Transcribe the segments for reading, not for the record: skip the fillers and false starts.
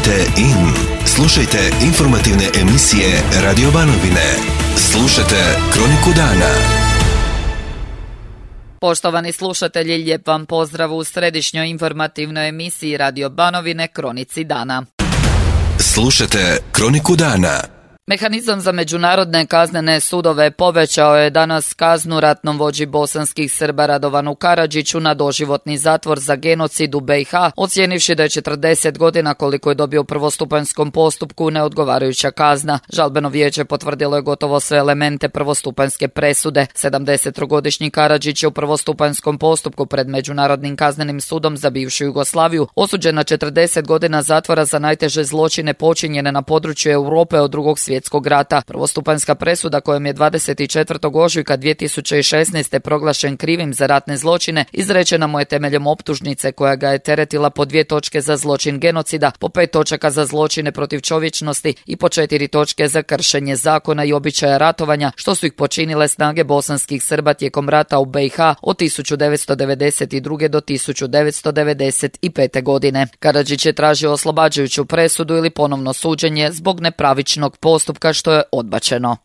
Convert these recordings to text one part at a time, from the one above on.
Kliknite in. Slušajte informativne emisije Radio Banovine. Slušajte Kroniku dana. Poštovani slušatelji, lijep vam pozdrav u središnjoj informativnoj emisiji Radio Banovine Kronici dana. Slušajte Kroniku dana. Mehanizam za međunarodne kaznene sudove povećao je danas kaznu ratnom vođi bosanskih Srba Radovanu Karadžiću na doživotni zatvor za genocid u BiH, ocijenivši da je 40 godina koliko je dobio u prvostupanjskom postupku neodgovarajuća kazna. Žalbeno vijeće potvrdilo je gotovo sve elemente prvostupanjske presude. 70-godišnji Karadžić je u prvostupanjskom postupku pred Međunarodnim kaznenim sudom za bivšu Jugoslaviju osuđen na 40 godina zatvora za najteže zločine počinjene na području Europe od Drugog svjetskog rata. Prvostupanjska presuda kojom je 24. ožujka 2016. proglašen krivim za ratne zločine izrečena mu je temeljem optužnice koja ga je teretila po 2 točke za zločin genocida, po 5 točaka za zločine protiv čovječnosti i po 4 točke za kršenje zakona i običaja ratovanja, što su ih počinile snage bosanskih Srba tijekom rata u BiH od 1992. do 1995. godine. Karadžić je tražio oslobađajuću presudu ili ponovno suđenje zbog nepravičnog postupka, što je odbačeno.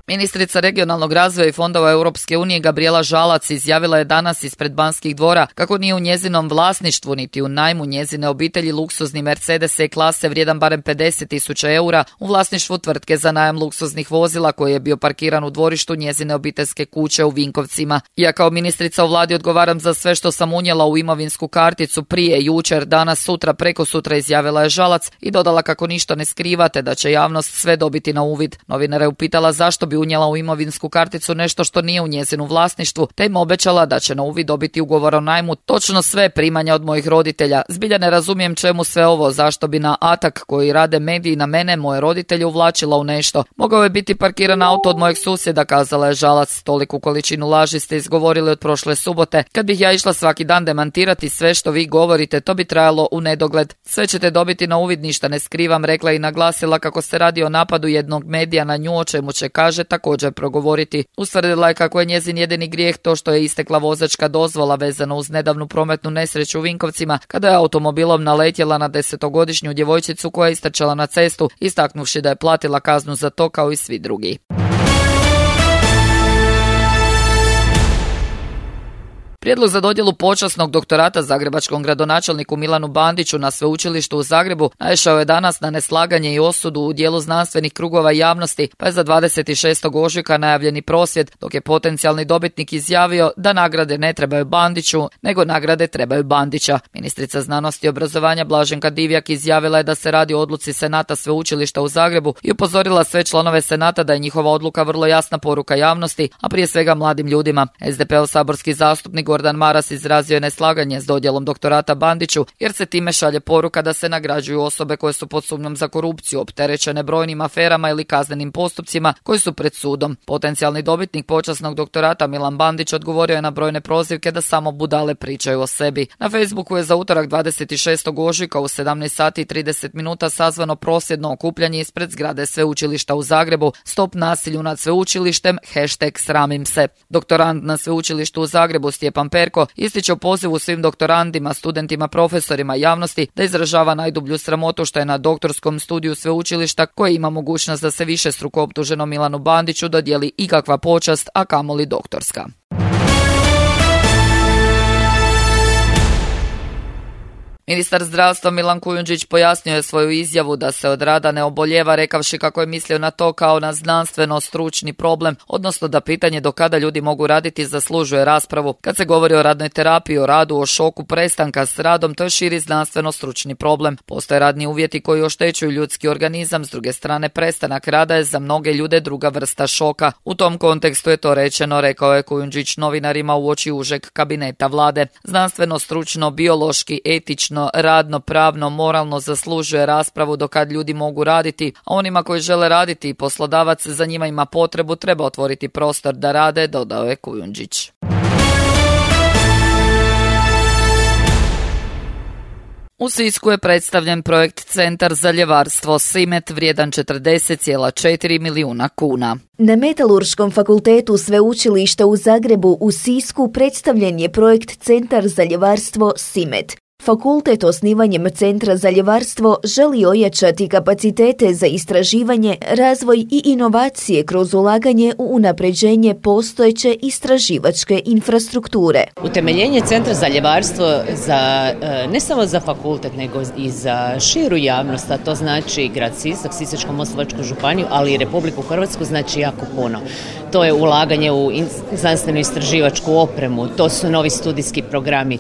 Ministrica regionalnog razvoja i fondova Europske unije Gabrijela Žalac izjavila je danas ispred Banskih dvora kako nije u njezinom vlasništvu niti u najmu njezine obitelji luksuzni Mercedes E-klase vrijedan barem 50.000 eura u vlasništvu tvrtke za najam luksuznih vozila koji je bio parkiran u dvorištu njezine obiteljske kuće u Vinkovcima. Ja kao ministrica u vladi odgovaram za sve što sam unijela u imovinsku karticu prije, jučer, danas, sutra, preko sutra, izjavila je Žalac i dodala kako ništa ne skrivate, da će javnost sve dobiti na uvid. Novinara je upitala zašto bi unijela u imovinsku karticu nešto što nije u njezinu vlasništvu, te im obećala da će na uvid dobiti ugovor o najmu točno sve primanja od mojih roditelja. Zbilja ne razumijem čemu sve ovo, zašto bi na atak koji rade mediji na mene moje roditelje uvlačila u nešto. Mogao je biti parkiran auto od mojeg susjeda, kazala je Žalac. Toliku količinu laži ste izgovorili od prošle subote. Kad bih ja išla svaki dan demantirati sve što vi govorite, to bi trajalo u nedogled. Sve ćete dobiti na uvid, ništa ne skrivam, rekla i naglasila kako se radi o napadu jednog medija na nju, o čemu će, kaže, također progovoriti. Ustvrdila je kako je njezin jedini grijeh to što je istekla vozačka dozvola vezano uz nedavnu prometnu nesreću u Vinkovcima kada je automobilom naletjela na 10-godišnju djevojčicu koja je istrčala na cestu, istaknuvši da je platila kaznu za to kao i svi drugi. Prijedlog za dodjelu počasnog doktorata zagrebačkom gradonačelniku Milanu Bandiću na sveučilištu u Zagrebu naišao je danas na neslaganje i osudu u dijelu znanstvenih krugova javnosti, pa je za 26. ožujka najavljeni prosvjed, dok je potencijalni dobitnik izjavio da nagrade ne trebaju Bandiću, nego nagrade trebaju Bandića. Ministrica znanosti i obrazovanja Blaženka Divjak izjavila je da se radi o odluci Senata sveučilišta u Zagrebu i upozorila sve članove Senata da je njihova odluka vrlo jasna poruka javnosti, a prije svega mladim ljudima. SDP-ov saborski zastupnik Gordan Maras izrazio je neslaganje s dodjelom doktorata Bandiću jer se time šalje poruka da se nagrađuju osobe koje su pod sumnjom za korupciju, opterećene brojnim aferama ili kaznenim postupcima koji su pred sudom. Potencijalni dobitnik počasnog doktorata Milan Bandić odgovorio je na brojne prozivke da samo budale pričaju o sebi. Na Facebooku je za utorak 26. ožujka u 17:30 sazvano prosvjedno okupljanje ispred zgrade sveučilišta u Zagrebu. Stop nasilju nad sveučilištem, #sramim se. Doktorant na sveučilištu u Zagrebu Stjepan Perko ističe u pozivu svim doktorandima, studentima, profesorima i javnosti da izražava najdublju sramotu što je na doktorskom studiju sveučilišta koji ima mogućnost da se višestruko optuženom Milanu Bandiću dodijeli ikakva počast, a kamoli doktorska. Ministar zdravstva Milan Kujundžić pojasnio je svoju izjavu da se od rada ne oboljeva, rekavši kako je mislio na to kao na znanstveno-stručni problem, odnosno da pitanje do kada ljudi mogu raditi zaslužuje raspravu. Kad se govori o radnoj terapiji, o radu, o šoku prestanka s radom, to je širi znanstveno-stručni problem. Postoje radni uvjeti koji oštećuju ljudski organizam, s druge strane prestanak rada je za mnoge ljude druga vrsta šoka. U tom kontekstu je to rečeno, rekao je Kujundžić novinarima uoči užeg kabineta vlade. Znanstveno-stručno, biološki, etično, radno, pravno, moralno zaslužuje raspravu do kad ljudi mogu raditi, a onima koji žele raditi i poslodavac za njima ima potrebu treba otvoriti prostor da rade, dodao je Kujundžić. U Sisku je predstavljen projekt Centar za ljevarstvo Simet vrijedan 40,4 milijuna kuna. Na Metalurškom fakultetu Sveučilišta u Zagrebu u Sisku predstavljen je projekt Centar za ljevarstvo Simet. Fakultet osnivanjem Centra za ljevarstvo želi ojačati kapacitete za istraživanje, razvoj i inovacije kroz ulaganje u unapređenje postojeće istraživačke infrastrukture. Utemeljenje Centra za ljevarstvo ne samo za fakultet, nego i za širu javnost, a to znači grad Sisak, Sisačko-moslavačku županiju, ali i Republiku Hrvatsku, znači jako puno. To je ulaganje u znanstveno-istraživačku opremu, to su novi studijski programi,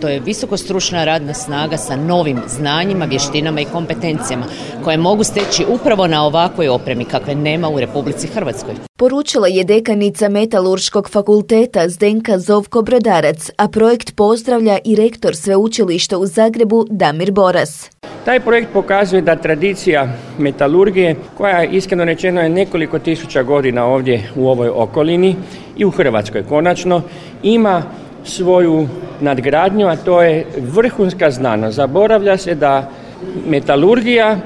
to je visokostručna radna snaga sa novim znanjima, vještinama i kompetencijama koje mogu steći upravo na ovakvoj opremi kakve nema u Republici Hrvatskoj. Poručila je dekanica Metalurškog fakulteta Zdenka Zovko-Brodarac, a projekt pozdravlja i rektor Sveučilišta u Zagrebu Damir Boras. Taj projekt pokazuje da tradicija metalurgije, koja iskreno rečeno je nekoliko tisuća godina ovdje u ovoj okolini i u Hrvatskoj konačno, ima svoju nadgradnju, a to je vrhunska znanost. Zaboravlja se da metalurgija,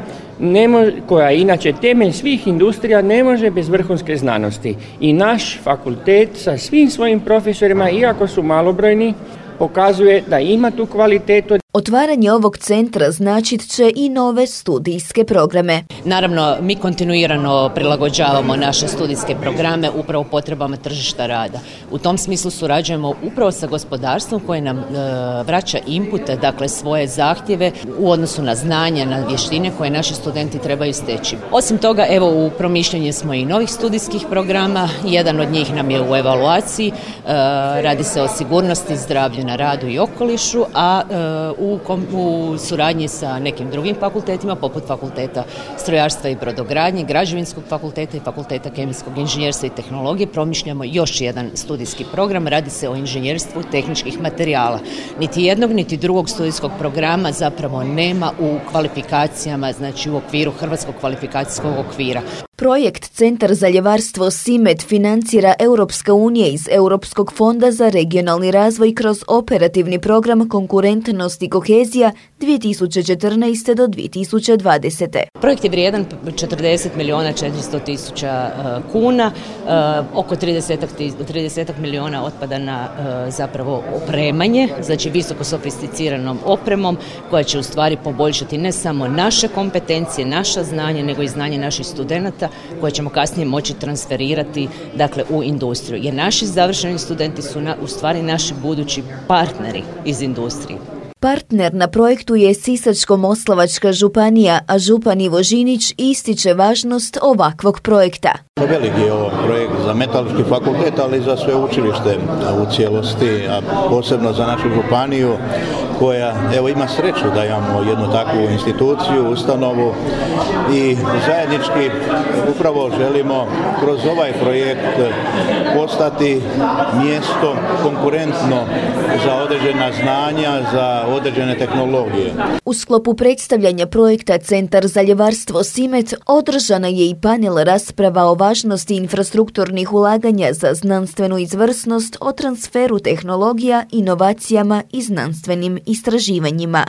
koja je inače temelj svih industrija, ne može bez vrhunske znanosti. I naš fakultet sa svim svojim profesorima, iako su malobrojni, pokazuje da ima tu kvalitetu. Otvaranje ovog centra značit će i nove studijske programe. Naravno, mi kontinuirano prilagođavamo naše studijske programe upravo potrebama tržišta rada. U tom smislu surađujemo upravo sa gospodarstvom koje nam vraća inpute, dakle svoje zahtjeve u odnosu na znanja, na vještine koje naši studenti trebaju steći. Osim toga, evo u promišljanju smo i novih studijskih programa. Jedan od njih nam je u evaluaciji. Radi se o sigurnosti, zdravlju na radu i okolišu, a u suradnji sa nekim drugim fakultetima, poput fakulteta strojarstva i brodogradnje, građevinskog fakulteta i fakulteta kemijskog inženjerstva i tehnologije, promišljamo još jedan studijski program. Radi se o inženjerstvu tehničkih materijala. Niti jednog, niti drugog studijskog programa zapravo nema u kvalifikacijama, znači u okviru Hrvatskog kvalifikacijskog okvira. Projekt Centar za ljevarstvo Simet financira Europska unija iz Europskog fonda za regionalni razvoj kroz operativni program Konkurentnost i kohezija 2014. do 2020. Projekt je vrijedan 40 milijuna 400 tisuća kuna, oko 30 milijuna otpada na zapravo opremanje, znači visoko sofisticiranom opremom koja će u stvari poboljšati ne samo naše kompetencije, naša znanja, nego i znanje naših studenata koje ćemo kasnije moći transferirati dakle, u industriju. Jer naši završeni studenti su u stvari naši budući partneri iz industrije. Partner na projektu je Sisačko-moslavačka županija, a župan Ivo Žinić ističe važnost ovakvog projekta. Veliki je ovo projekt za Metalurški fakultet, ali i za sveučilište u cijelosti, a posebno za našu županiju koja ima sreću da imamo jednu takvu instituciju, ustanovu i zajednički upravo želimo kroz ovaj projekt postati mjesto konkurentno za određena znanja, za određene tehnologije. U sklopu predstavljanja projekta Centar za ljevarstvo Simet održana je i panel rasprava o važnosti infrastrukturnih ulaganja za znanstvenu izvrsnost, o transferu tehnologija, inovacijama i znanstvenim istraživanjima.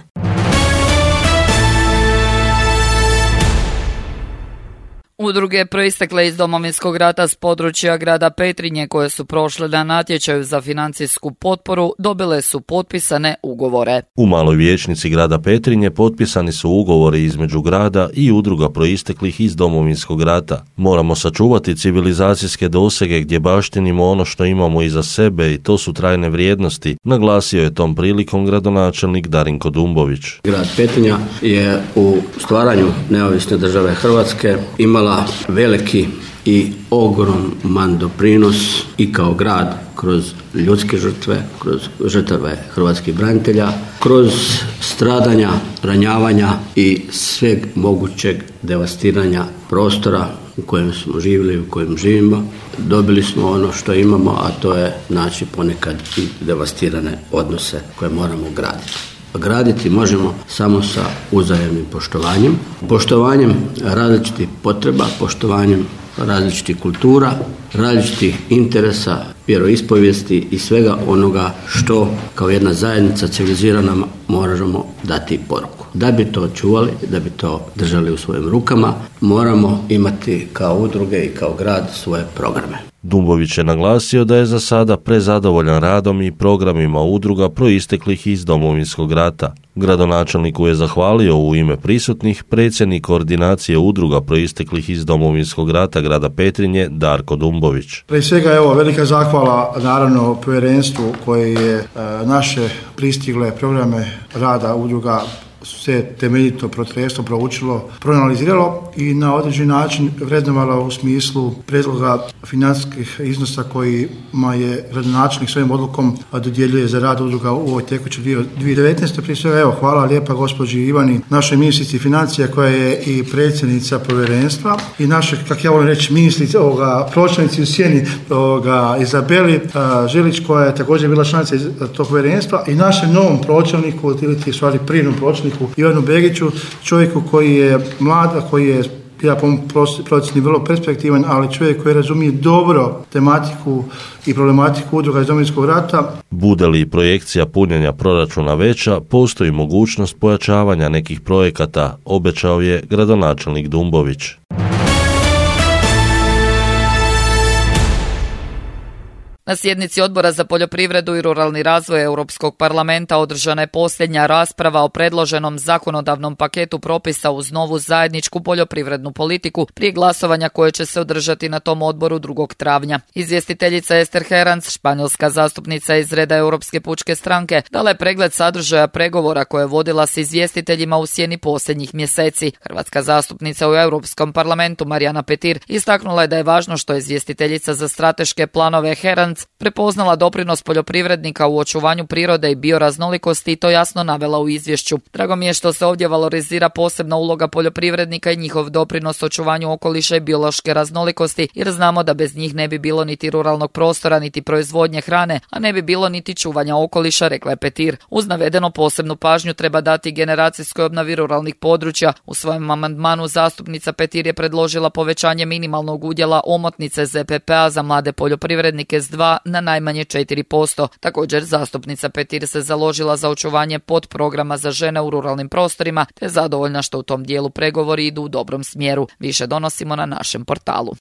Udruge proistekle iz Domovinskog rata s područja grada Petrinje koje su prošle na natječaju za financijsku potporu dobile su potpisane ugovore. U maloj vijećnici grada Petrinje potpisani su ugovori između grada i udruga proisteklih iz Domovinskog rata. Moramo sačuvati civilizacijske dosege gdje baštinimo ono što imamo iza sebe i to su trajne vrijednosti, naglasio je tom prilikom gradonačelnik Darinko Dumbović. Grad Petrinja je u stvaranju neovisne države Hrvatske imala veliki i ogroman doprinos i kao grad kroz ljudske žrtve, kroz žrtve hrvatskih branitelja, kroz stradanja, ranjavanja i sveg mogućeg devastiranja prostora u kojem smo živjeli, u kojem živimo. Dobili smo ono što imamo, a to je znači ponekad i devastirane odnose koje moramo graditi. Graditi možemo samo sa uzajamnim poštovanjem različitih potreba, poštovanjem različitih kultura, različitih interesa vjeroispovijesti i svega onoga što kao jedna zajednica civilizirana možemo dati poruku. Da bi to čuvali, da bi to držali u svojim rukama, moramo imati kao udruge i kao grad svoje programe. Dumbović je naglasio da je za sada prezadovoljan radom i programima udruga proisteklih iz Domovinskog rata. Gradonačelniku je zahvalio u ime prisutnih predsjednik koordinacije udruga proisteklih iz Domovinskog rata grada Petrinje Darko Dumbović. Prije svega velika zahvala naravno povjerenstvu koje je naše pristigle programe rada udruga sve temeljito protresno proučilo, proanaliziralo i na određeni način vrednovalo u smislu prijedloga financijskih iznosa kojima je gradonačelnik svojim odlukom dodjeljuje za rad udruga u ovoj tekućoj 2019. Prije svega hvala lijepa gospođi Ivani, našoj ministrici financija koja je i predsjednica povjerenstva i naše, kako ja volim reći, ministrici pročelnici u sjeni Izabeli Žilić koja je također bila članica tog povjerenstva i našem novom pročelniku ili stvari prijenom pročelniku Ivanu Begiću, čovjeku koji je mlad, koji je ja po procjeni vrlo perspektivan, ali čovjek koji razumije dobro tematiku i problematiku udruga iz Domovinskog rata. Bude li projekcija punjenja proračuna veća, postoji mogućnost pojačavanja nekih projekata, obećao je gradonačelnik Dumbović. Na sjednici Odbora za poljoprivredu i ruralni razvoj Europskog parlamenta održana je posljednja rasprava o predloženom zakonodavnom paketu propisa uz novu zajedničku poljoprivrednu politiku prije glasovanja koje će se održati na tom odboru 2. travnja. Izvjestiteljica Ester Herranz, španjolska zastupnica iz reda Europske pučke stranke, dala je pregled sadržaja pregovora koje je vodila s izvjestiteljima u sjeni posljednjih mjeseci. Hrvatska zastupnica u Europskom parlamentu Marijana Petir istaknula je da je važno što je izvjestiteljica za strateške planove Herranz prepoznala doprinos poljoprivrednika u očuvanju prirode i bioraznolikosti i to jasno navela u izvješću. Drago mi je što se ovdje valorizira posebna uloga poljoprivrednika i njihov doprinos očuvanju okoliša i biološke raznolikosti, jer znamo da bez njih ne bi bilo niti ruralnog prostora, niti proizvodnje hrane, a ne bi bilo niti čuvanja okoliša, rekla je Petir. Uz navedeno posebnu pažnju treba dati generacijskoj obnovi ruralnih područja. U svojem amandmanu zastupnica Petir je predložila povećanje minimalnog udjela omotnice ZPP-a za mlade poljoprivrednike s 2 na najmanje 4%. Također, zastupnica Petir se založila za očuvanje podprograma za žene u ruralnim prostorima, te je zadovoljna što u tom dijelu pregovori idu u dobrom smjeru. Više donosimo na našem portalu.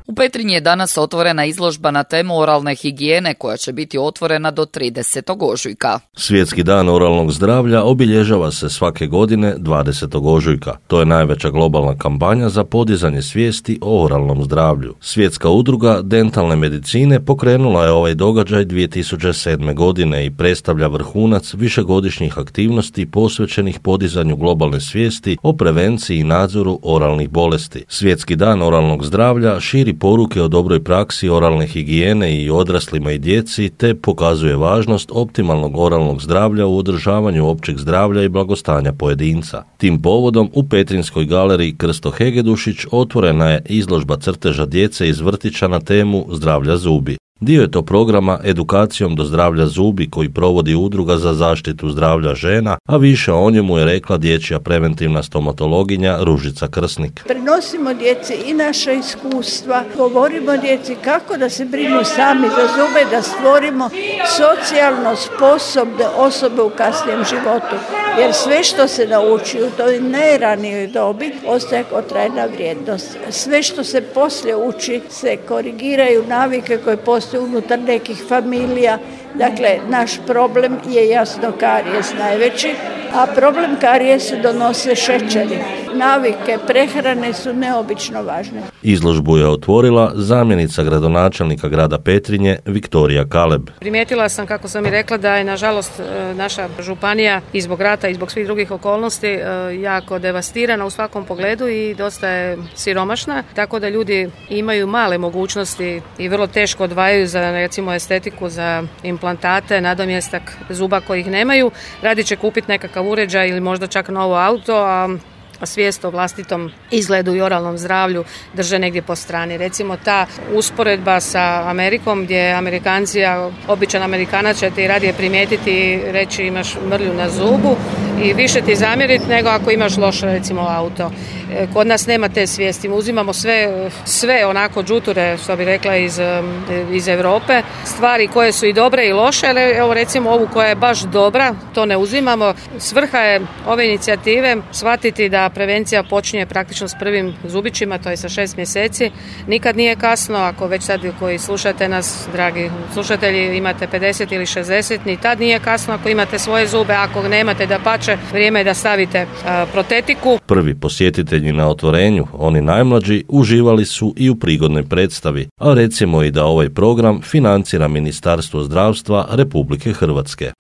U Petrinji je danas otvorena izložba na temu oralne higijene koja će biti otvorena do 30. ožujka. Svjetski dan oralnog zdravlja obilježava se svake godine 20. ožujka. To je najveća globalna kampanja za podizanje svijesti o oralnom zdravlju. Svjetska udruga dentalne medicine pokrenula je ovaj događaj 2007. godine i predstavlja vrhunac višegodišnjih aktivnosti posvećenih podizanju globalne svijesti o prevenciji i nadzoru oralnih bolesti. Svjetski dan oralnog zdravlja širi poruke o dobroj praksi oralne higijene i odraslima i djeci, te pokazuje važnost optimalnog oralnog zdravlja u održavanju općeg zdravlja i blagostanja pojedinca. Tim povodom u Petrinjskoj galeriji Krsto Hegedušić otvorena je izložba crteža djece iz vrtića na temu zdravlja zubi. Dio je to programa Edukacijom do zdravlja zubi koji provodi Udruga za zaštitu zdravlja žena, a više o njemu je rekla dječja preventivna stomatologinja Ružica Krsnik. Prenosimo djeci i naša iskustva, govorimo djeci kako da se brinu sami za zube, da stvorimo socijalno sposobne osobe u kasnijem životu. Jer sve što se nauči u toj najranijoj dobi ostaje kao trajna vrijednost. Sve što se poslije uči se korigiraju navike koje postoje unutar nekih familija. Dakle, naš problem je jasno karijes najveći, a problem karijesa donose šećeri. Navike prehrane su neobično važne. Izložbu je otvorila zamjenica gradonačelnika grada Petrinje Viktorija Kaleb. Primijetila sam, kako sam i rekla, da je nažalost naša županija i zbog rata i zbog svih drugih okolnosti jako devastirana u svakom pogledu i dosta je siromašna, tako da ljudi imaju male mogućnosti i vrlo teško odvajaju za recimo estetiku, za implantate, nadomjestak zuba kojih nemaju. Radi će kupiti nekakav uređaj ili možda čak novo auto, a svijest o vlastitom izgledu i oralnom zdravlju drže negdje po strani. Recimo ta usporedba sa Amerikom gdje Amerikanci, običan Amerikanac će ti radije primijetiti i reći imaš mrlju na zubu, i više ti zamjeriti nego ako imaš loš recimo auto. Kod nas nema te svijesti, uzimamo sve onako džuture, što bi rekla, iz Europe, stvari koje su i dobre i loše, ali evo recimo ovu koja je baš dobra, to ne uzimamo. Svrha je ove inicijative shvatiti da prevencija počinje praktično s prvim zubićima, to je sa 6 mjeseci. Nikad nije kasno, ako već sad koji slušate nas, dragi slušatelji, imate 50 ili 60, ni tad nije kasno ako imate svoje zube, ako nemate, dapače, vrijeme je da stavite protetiku. Prvi posjetitelji na otvorenju, oni najmlađi, uživali su i u prigodnoj predstavi, a recimo i da ovaj program financira Ministarstvo zdravstva Republike Hrvatske.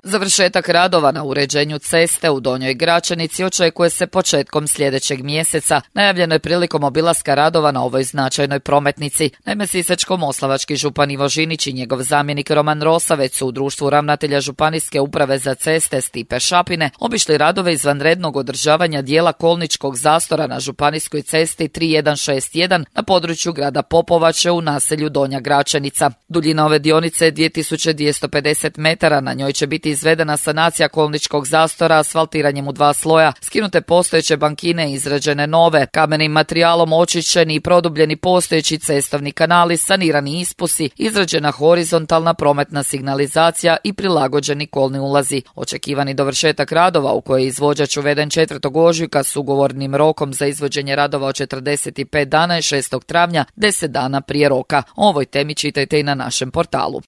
Završetak radova na uređenju ceste u Donjoj Gračanici očekuje se početkom sljedećeg mjeseca. Najavljeno je prilikom obilaska radova na ovoj značajnoj prometnici. Naime, Sisačko-moslavački župan Ivo Žinić i njegov zamjenik Roman Rosavec su u društvu ravnatelja Županijske uprave za ceste Stipe Šapine obišli radove izvanrednog održavanja dijela kolničkog zastora na županijskoj cesti 3161 na području grada Popovače u naselju Donja Gračanica. Duljina ove dionice je 2250 metara, na njoj će biti izvedena sanacija kolničkog zastora asfaltiranjem u 2 sloja, skinute postojeće bankine i izrađene nove, kamenim materijalom očišćeni i produbljeni postojeći cestovni kanali, sanirani ispusi, izrađena horizontalna prometna signalizacija i prilagođeni kolni ulazi. Očekivani dovršetak radova, u koje je izvođač uveden 4. ožujka s ugovornim rokom za izvođenje radova od 45 dana i 6. travnja, 10 dana prije roka. O ovoj temi čitajte i na našem portalu.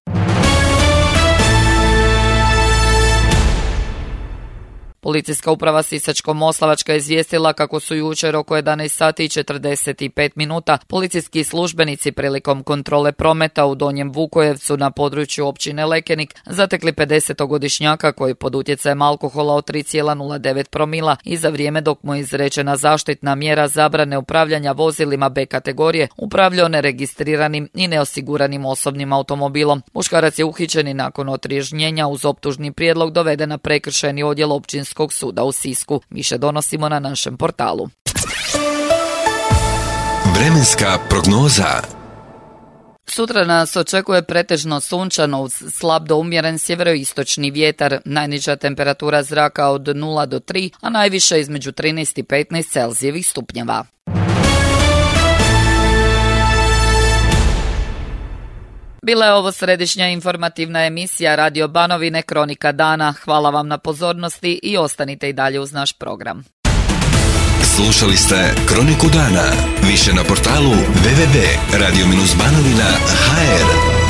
Policijska uprava Sisačko-moslavačka je izvijestila kako su jučer oko 11 sati i 45 minuta policijski službenici prilikom kontrole prometa u Donjem Vukojevcu na području općine Lekenik zatekli 50-godišnjaka koji pod utjecajem alkohola od 3,09 promila i za vrijeme dok mu je izrečena zaštitna mjera zabrane upravljanja vozilima B kategorije upravljao neregistriranim i neosiguranim osobnim automobilom. Muškarac je uhićen i nakon otriježnjenja uz optužni prijedlog doveden na prekršajni odjel Općinskog suda u Sisku. Više donosimo na našem portalu. Vremenska prognoza. Sutra nas očekuje pretežno sunčano uz slab do umjeren sjeveroistočni vjetar, najniža temperatura zraka od 0 do 3, a najviše između 13 i 15 Celzijevih stupnjeva. Bila je ovo središnja informativna emisija Radio Banovine Kronika dana. Hvala vam na pozornosti i ostanite i dalje uz naš program. Slušali ste Kroniku dana. Više na portalu www.radio-banovina.hr.